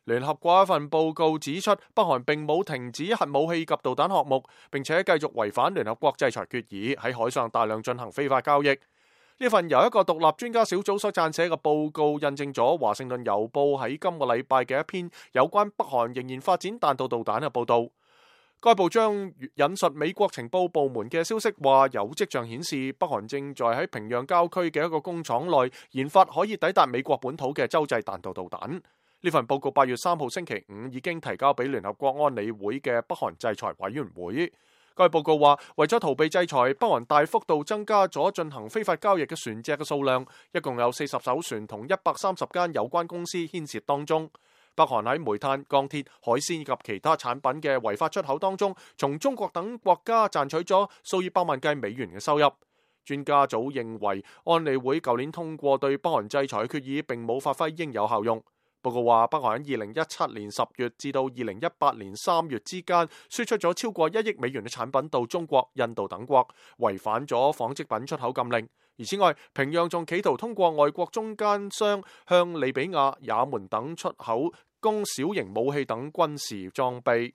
聯合國一份報告指出，北韓並冇停止核武器及導彈項目，並且繼續違反聯合國制裁決議，喺海上大量進行非法交易。呢份由一個獨立專家小組所撰寫嘅報告，印證咗華盛頓郵報喺今個禮拜嘅一篇有關北韓仍然發展彈道導彈嘅報道。該報將引述美國情報部門嘅消息，話有跡象顯示北韓正在喺平壤郊區嘅一個工廠內研發可以抵達美國本土嘅洲際彈道導彈。呢份報告8月3號星期五已經提交俾聯合國安理會嘅北韓制裁委員會。該報告話，為咗逃避制裁，北韓大幅度增加咗進行非法交易嘅船隻嘅數量，一共有40艘船同130間有關公司牽涉當中。北韓喺煤炭、鋼鐵、海鮮及其他產品嘅違法出口當中，從中國等國家賺取咗數以百萬計美元嘅收入。專家組認為，安理會舊年通過對北韓制裁嘅決議並冇發揮應有效用。報告話，北韓喺2017年10月至到2018年3月之間，輸出咗超過1億美元嘅產品到中國、印度等國，違反咗紡織品出口禁令。而此外，平壤仲企圖通過外國中間商向利比亞、也門等出口供小型武器等軍事裝備。